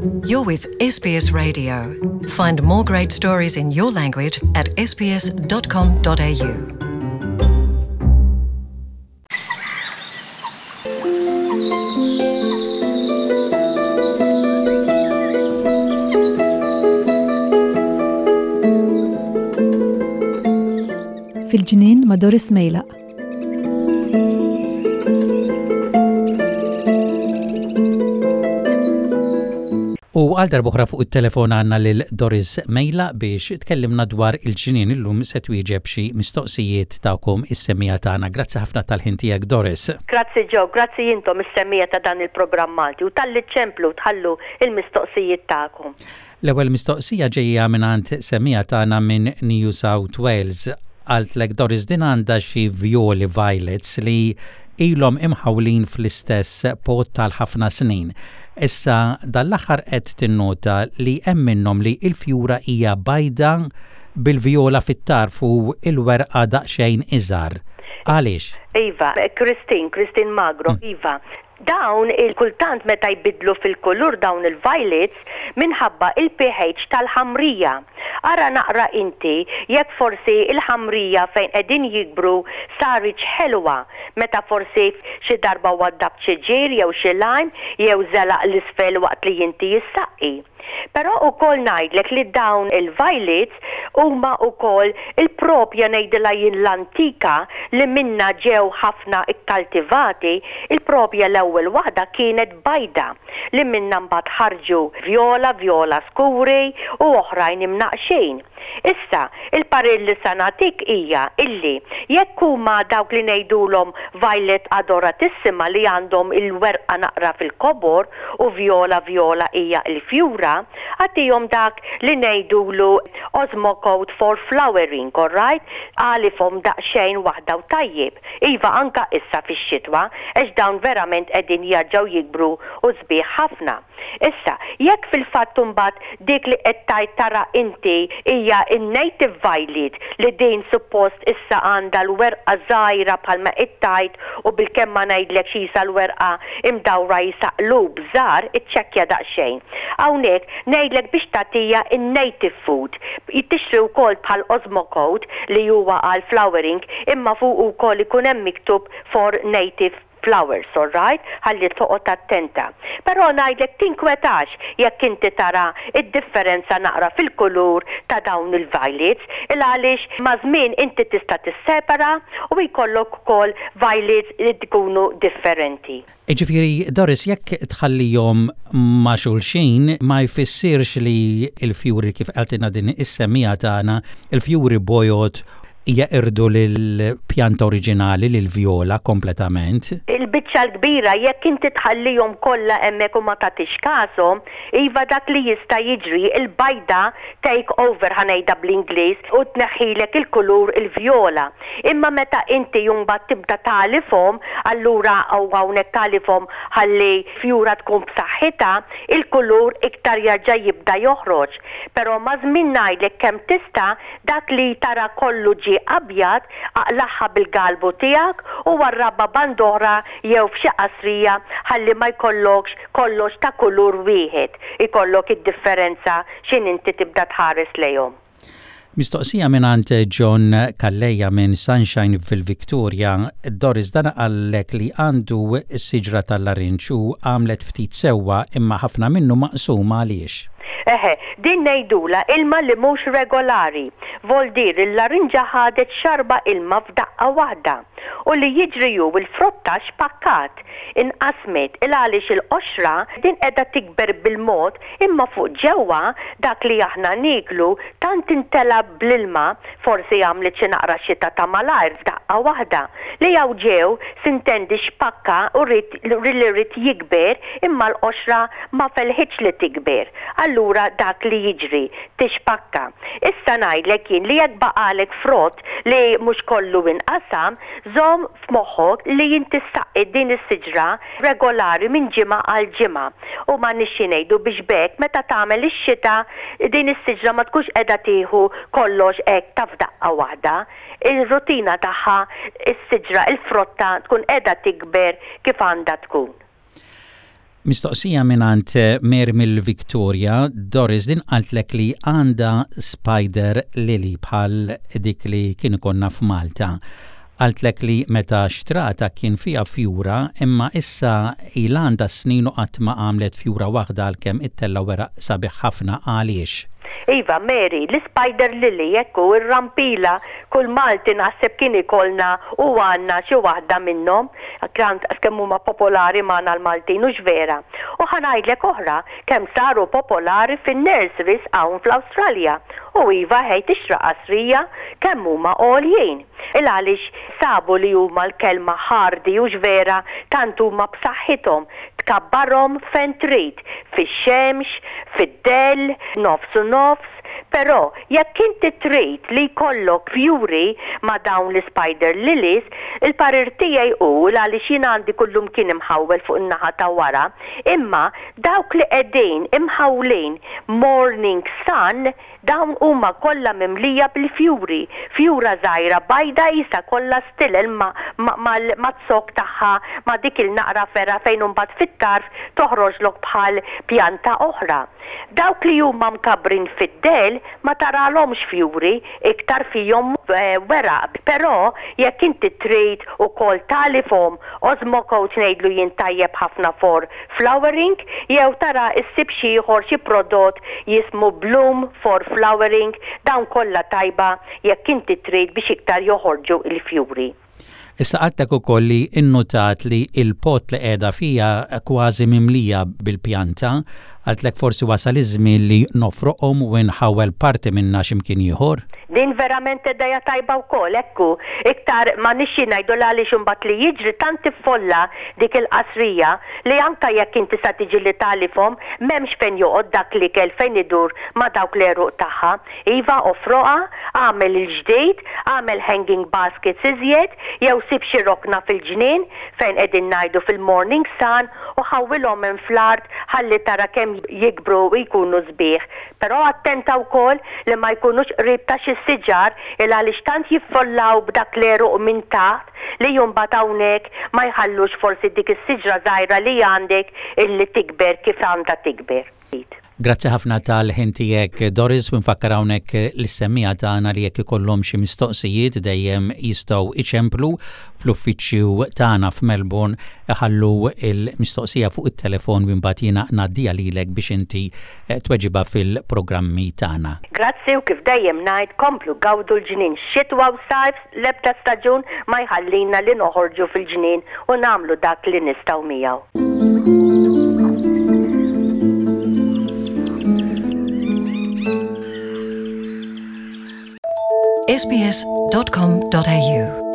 You're with SBS Radio. Find more great stories in your language at sbs.com.au. Fil-ġnien ma' Doris Mejlaq. U għal darbohra fuq it-telefon għandna lil Doris Mejla biex tkellimna dwar il-ġnien illum se twieġeb xi mistoqsijiet tagħkom is-semmiegħa tagħna. Grazzi ħafna tal-ħin tiegħek Doris. Grazzi Joe, grazzi intom is-semmiegħa ta' dan il-programm Malti u talli ċċemplu u tħallu l-mistoqsijiet tagħkom. L-ewwel mistoqsija ġejja mingħand semmiegħa tagħna minn New South Wales. Qaltlek Doris din għandha xi vjoli violets li ilhom imħawlin fl-istess pot għal ħafna snin. Issa dan l-aħħar qed tinnota li hemm minnhom li l-fjura hija bajda bil-vjola fit-tarf u l-werqa daqsxejn iżgħar. Għaliex? Iva, Christine, Christine Magro, iva. Dawn il kultant meta jbiddlu fil-kulur dawn il-violets minħabba il-pH tal-ħamrija. Ara naqra inti jekk forsi il-ħamrija fejn qegħdin jikbru saritx ħelwa meta forsi xi darba waddabt xi ġir jew xi lime jew żelaq 'l isfel waqt li inti issaqqi. Però ukoll ngħidlek li dawn il-violets huma ukoll il-propja ngħidilha jien l-antika li minnha ġew ħafna kkaltivati, il-propja l-ewwel waħda kienet bajda li minnha mbagħad ħarġu vjola, vjola skuri u oħrajn imnaqqxin. Issa, il-parir li sa nagħtik hija illi jekk huma dawk li ngħidulhom violet adoratissima li għandhom il-werqa naqra fil-kobor u vjola vjola hija l-fjura, agħtihom dak li ngħidulu Osmocote for flowering, alright? Għalifhom daqsxejn waħda u tajjeb. Iva anka issa fix-xitwa għax dawn verament qegħdin jerġgħu jikbru u sbieħ ħafna. Issa, jekk fil-fatt imbagħad dik li qed tgħid tara inti hija n-native violet li din suppost issa għandha l-werqa żgħira bħalma qed tgħid u bilkemm ma ngħidlekx qisha l-werqa imdawra qisha qlub żgħar, iċċekkja daqsxejn. Hawnhekk ngħidlek biex tagħtiha n-native food. Tixtri wkoll bħal Osmocote li huwa għall-flowering imma fuqu wkoll ikun hemm miktub for native flowers, alright? Ħalli toqgħod attenta. Però ngħidlek tinkwetax jekk inti tara d-differenza naqra fil-kulur ta' dawn il-violets, il għaliex maż-żmien inti tista' tissepara u jkollok ukoll violets li jkunu differenti. Jiġifieri Doris jekk tħallihom ma' xulxin ma jfissirx li l-fjuri kif qaltilna din is-semmiegħa tagħna, il-fjuri bojod jeqirdu lill-pjanta oriġinali, lill-vjola, kompletament. Il-biċċa l-kbira, jekk inti tħallihom kollha hemmhekk u ma tagħtix kashom, iva dak li jista' jiġri, il-bajda take over ħa ngħidha bl-Ingliż u tneħħilek il-kulur il-vjola. Imma meta inti mbagħad tibda tagħlifhom, allura u hawnhekk tagħlifhom ħalli fjura tkun b'saħħitha, il-kulur iktar jerġa' jibda joħroġ. Però maż-żmien ngħidlek kemm tista' Dak li tara kollu ġie abjad, aqlagħha bil-galbu tiegħek u warrabha band'oħra jew f'xi qasrija ħalli ma jkollokx kollox ta' kulur wieħed, ikollok id-differenza x'in inti tibda tħares lejhom. Mistoqsija mingħand John Calleja minn Sunshine fil-Victoria, Doris dan qallek li għandu siġra tal-larinġ u għamlet ftit sewwa imma ħafna minnu maqsum għaliex? Eħe, din ngħidulha ilma li mhux regolari. Voldir il-larinġa ħadet xarba ilma f'daqqa waħda. U li jiġri hu l-frotta xpakkat, inqasmet, il għaliex il-qoxra din qiegħda tikber bil-mod imma fuq ġewwa dak li aħna nieklu tant imtela bl-ilma, forsi għamlet xi naqra xita ta' malajr f'daqqa waħda, li hawn ġew, sintendi xpakka u ried li ried jikber imma l-qoxra ma felħitx li tikber. Allura dak li jiġri, tixpakka. Issa ngħidlek jien li jekk baqagħlek frott li mhux kollu inqasam, żomm f'moħħok li inti ssaqqi din is-siġra regolari minn ġimgħa għal ġimgħa. U m'għandniex xi ngħidu biex b'hekk meta tagħmel ix-xita din is-siġra ma tkunx qiegħda tieħu kollox hekk ta' f'daqqa waħda. Ir-rutina tagħha is-siġra, il-frotta tkun qiegħda tikber kif għandha tkun. Mistoqsija mingħand Mary mill-Victoria, Doris din qaltlek li għandha spider lily bħal dik li kien ikollna f'Malta. Qaltlek li meta xtratha kien fiha fjura imma issa ilha għandha snin u qatt ma għamlet fjura waħda għalkemm ittella' weraq sabiħ ħafna għaliex? Iva, Mary, l-ispider lily, hekk hu, ir-rampila, kull Malti naħseb kien ikollna u għandna xi waħda minnhom, tant kemm huma popolari magħna l-Maltin, hux vera? U ħa ngħidlek oħra, kemm saru popolari fin-nurseries hawn fl-Awstralja. U iva ħej tixtra qasrija, kemm huma għoljin. Il għaliex sabu li huma l-kelma hardy, hux vera, tant huma b'saħħithom, tkabbarhom fejn trid, fix-xemx, fid-dell, nofs u nofs, però jekk inti trid li jkollok fjuri ma' dawn l-ispider lilies, il-parir tiegħi hu, l-għaliex jien għandi kullumkien imħawwel fuq in-naħa ta' wara, imma dawk li qegħdin imħawlin morning sun, Dawn huma kollha mimlija bil-fjuri, fjura żgħira bajda qisha kollha stilel ma' z-zokk tagħha ma' dik il-naqra fergħa fejn imbagħad fit-tarf toħroġlok bħal pjanta oħra. Dawk li huma mkabbrin fid-dell ma taralhomx fjuri, iktar fihom weraq. Però jekk inti trid ukoll tagħlifhom Osmocote ngħidlu jien tajjeb ħafna for flowering jew tara issib xi ieħor xi prodott jismu Bloom for flowering dawn kollha tajba jekk inti trid biex iktar joħorġu l-fjuri. Issa qaltlek ukoll li innutat li l-pot li qiegħda fiha kważi mimlija bil-pjanta. Qaltlek forsi wasal iż-żmien li nofroqhom u nħawwel parti minnha xi mkien ieħor. Din verament idea tajba wkoll, hekk hu. Iktar ma nixxi ngħidu l-għaliex imbagħad li jiġri tant tiffolla dik il-qasrija li anke jekk inti sa tiġi li tagħlifhom m'hemmx fejn joqgħod dak l-ikel fejn idur ma' dawk l-għeruq tagħha. Iva ofroqha, agħmel il-ġdid, agħmel hanging baskets iżjed jew sib xi rokna fil-ġnien fejn qegħdin ngħidu fil-morning sun u ħawwilhom hemm fl-art ħalli tara kemm jikbru u jkunu sbieħ. Però attenta wkoll li ma jkunux qrib ta' xi siġar il għaliex tant jiffollaw b'dak l-għeruq minn taħt li mbagħad hawnhekk ma jħallux forsi dik is-siġra żgħira li għandek illi tikber kif għandha tikber. Grazzi ħafna tal-ħin tiegħek Doris u nfakkar hawnhekk lis-semmiegħa tagħna li jekk ikollhom xi mistoqsijiet dejjem jistgħu iċemplu fl-uffiċċju tagħna f'Melbourne iħallu l-mistoqsija fuq it-telefon u mbagħad jiena ngħaddiha lilek biex inti tweġibha fil-programmi tagħna. Grazzi u kif dejjem ngħid komplu gawdu l-ġnien xitwa u sajf l-ebda staġun ma jħallina li noħorġu fil-ġnien u nagħmlu dak li nistgħu miegħu. sbs.com.au.